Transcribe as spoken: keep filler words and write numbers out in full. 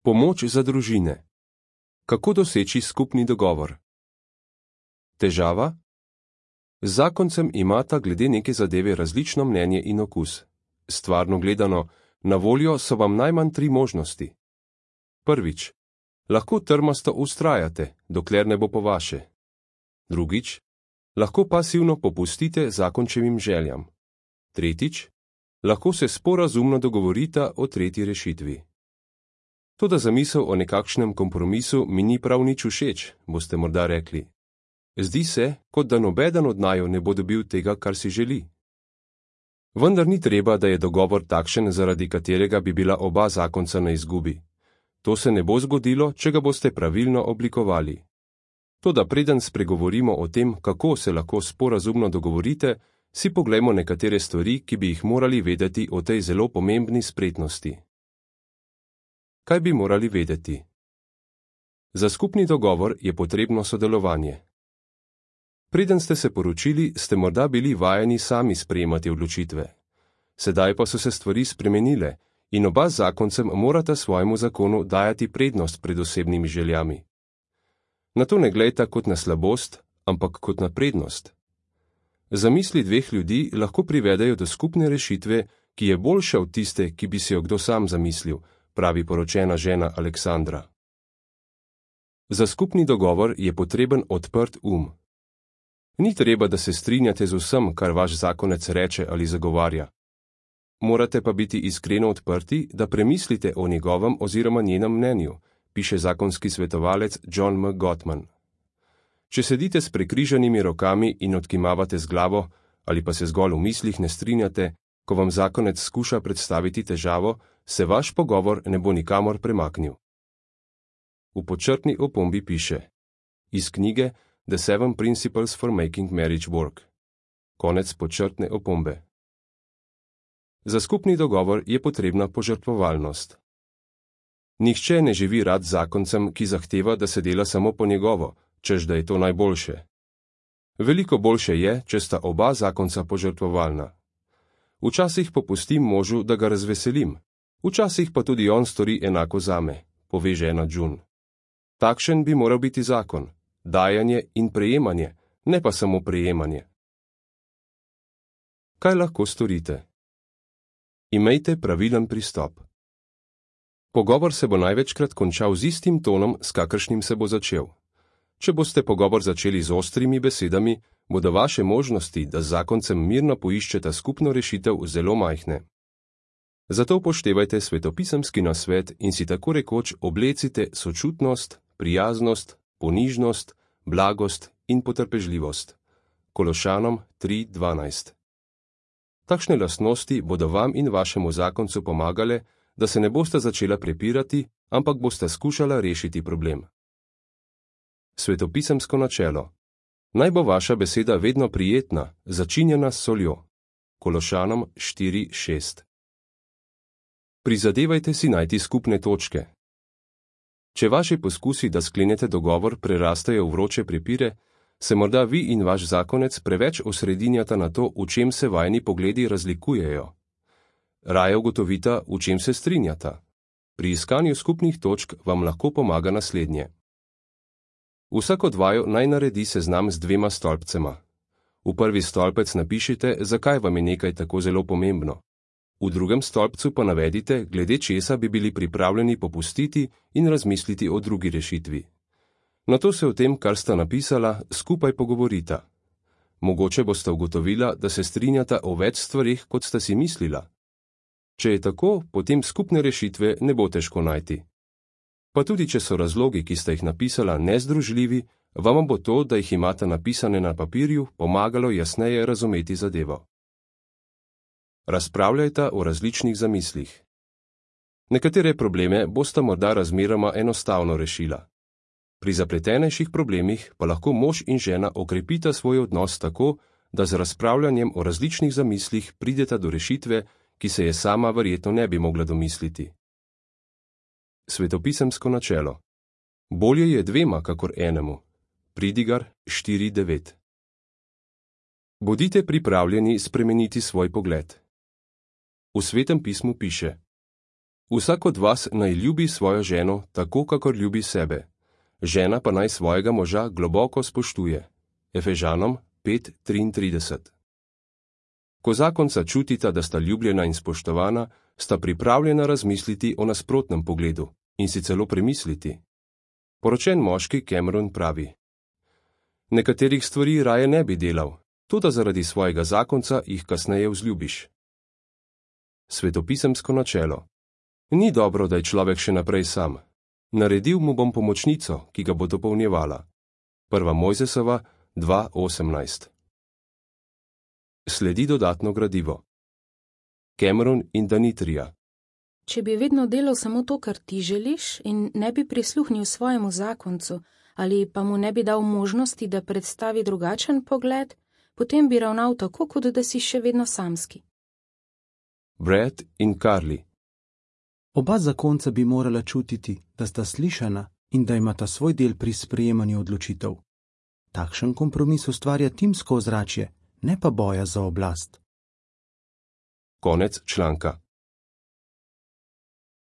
Pomoč za družine. Kako doseči skupni dogovor? Težava? Z zakoncem imata glede neke zadeve različno mnenje in okus. Stvarno gledano, na voljo so vam najmanj tri možnosti. Prvič. Lahko trmasto vztrajate, dokler ne bo po vaše. Drugič. Lahko pasivno popustite zakončevim željam. Tretjič. Lahko se sporazumno dogovorita o tretji rešitvi. Toda zamisel o nekakšnem kompromisu mi ni prav nič všeč, boste morda rekli. Zdi se, kot da nobeden od naju ne bo dobil tega, kar si želi. Vendar ni treba, da je dogovor takšen, zaradi katerega bi bila oba zakonca na izgubi. To se ne bo zgodilo, če ga boste pravilno oblikovali. Toda preden spregovorimo o tem, kako se lahko sporazumno dogovorite, si poglejmo nekatere stvari, ki bi jih morali vedeti o tej zelo pomembni spretnosti. Kaj bi morali vedeti? Za skupni dogovor je potrebno sodelovanje. Preden ste se poročili, ste morda bili vajeni sami sprejemati odločitve. Sedaj pa so se stvari spremenile in oba z zakoncem morata svojemu zakonu dajati prednost pred osebnimi željami. Na to ne glejta kot na slabost, ampak kot na prednost. Zamisli dveh ljudi lahko privedejo do skupne rešitve, ki je boljša od tiste, ki bi si jo kdo sam zamislil, pravi poročena žena Aleksandra. Za skupni dogovor je potreben odprt um. Ni treba, da se strinjate z vsem, kar vaš zakonec reče ali zagovarja. Morate pa biti iskreno odprti, da premislite o njegovem oziroma njenem mnenju, piše zakonski svetovalec John M. Gottman. Če sedite s prekrižanimi rokami in odkimavate z glavo, ali pa se zgolj v mislih ne strinjate, ko vam zakonec skuša predstaviti težavo, se vaš pogovor ne bo nikamor premaknil. V podčrtni opombi piše: iz knjige The Seven Principles for Making Marriage Work. Konec podčrtne opombe. Za skupni dogovor je potrebna požrtvovalnost. Nihče ne živi rad z zakoncem, ki zahteva, da se dela samo po njegovo, češ da je to najboljše. Veliko boljše je, če sta oba zakonca požrtvovalna. Včasih popustim možu, da ga razveselim, včasih pa tudi on stori enako zame, pove žena June. Takšen bi moral biti zakon, dajanje in prejemanje, ne pa samo prejemanje. Kaj lahko storite? Imejte pravilen pristop. Pogovor se bo največkrat končal z istim tonom, s kakršnim se bo začel. Če boste pogovor začeli z ostrimi besedami, bodo vaše možnosti, da z zakoncem mirno poiščeta skupno rešitev, zelo majhne. Zato upoštevajte svetopisemski nasvet in si tako rekoč oblecite sočutnost, prijaznost, ponižnost, blagost in potrpežljivost. Kološanom tri dvanajst. Takšne lastnosti bodo vam in vašemu zakoncu pomagale, da se ne boste začela prepirati, ampak boste skušala rešiti problem. Svetopisemsko načelo. Naj bo vaša beseda vedno prijetna, začinjena s soljo. Kološanom štiri šest. Prizadevajte si najti skupne točke. Če vaši poskusi, da sklenete dogovor, prerastajo v vroče prepire, se morda vi in vaš zakonec preveč osredinjata na to, v čem se vajni pogledi razlikujejo. Raje ugotovita, v čem se strinjata. Pri iskanju skupnih točk vam lahko pomaga naslednje. Vsak od vaju naj naredi seznam z dvema stolpcema. V prvi stolpec napišite, zakaj vam je nekaj tako zelo pomembno. V drugem stolpcu pa navedite, glede česa bi bili pripravljeni popustiti in razmisliti o drugi rešitvi. Nato se o tem, kar sta napisala, skupaj pogovorita. Mogoče boste ugotovila, da se strinjata o več stvarih, kot sta si mislila. Če je tako, potem skupne rešitve ne bo težko najti. Pa tudi, če so razlogi, ki sta jih napisala, nezdružljivi, vam bo to, da jih imata napisane na papirju, pomagalo jasneje razumeti zadevo. Razpravljajta o različnih zamislih. Nekatere probleme bosta morda razmeroma enostavno rešila. Pri zapletenejših problemih pa lahko mož in žena okrepita svoj odnos tako, da z razpravljanjem o različnih zamislih prideta do rešitve, ki se je sama verjetno ne bi mogla domisliti. Svetopisemsko načelo. Bolje je dvema, kakor enemu. Pridigar štiri devet. Bodite pripravljeni spremeniti svoj pogled. V Svetem pismu piše: Vsak od vas naj ljubi svojo ženo tako, kakor ljubi sebe. Žena pa naj svojega moža globoko spoštuje. Efežanom pet triintrideset. Ko zakonca čutita, da sta ljubljena in spoštovana, sta pripravljena razmisliti o nasprotnem pogledu in si celo premisliti. Poročen moški Cameron pravi: Nekaterih stvari raje ne bi delal, toda zaradi svojega zakonca jih kasneje vzljubiš. Svetopisemsko načelo. Ni dobro, da je človek še naprej sam. Naredil mu bom pomočnico, ki ga bo dopolnjevala. Prva Mojzesova dva osemnajst. Sledi dodatno gradivo. Cameron in Danitrija. Če bi vedno delal samo to, kar ti želiš, in ne bi prisluhnil svojemu zakoncu, ali pa mu ne bi dal možnosti, da predstavi drugačen pogled, potem bi ravnal tako, kot da si še vedno samski. Brad in Carly. Oba zakonca bi morala čutiti, da sta slišana in da imata svoj del pri sprejemanju odločitev. Takšen kompromis ustvarja timsko ozračje, ne pa boja za oblast. Konec članka.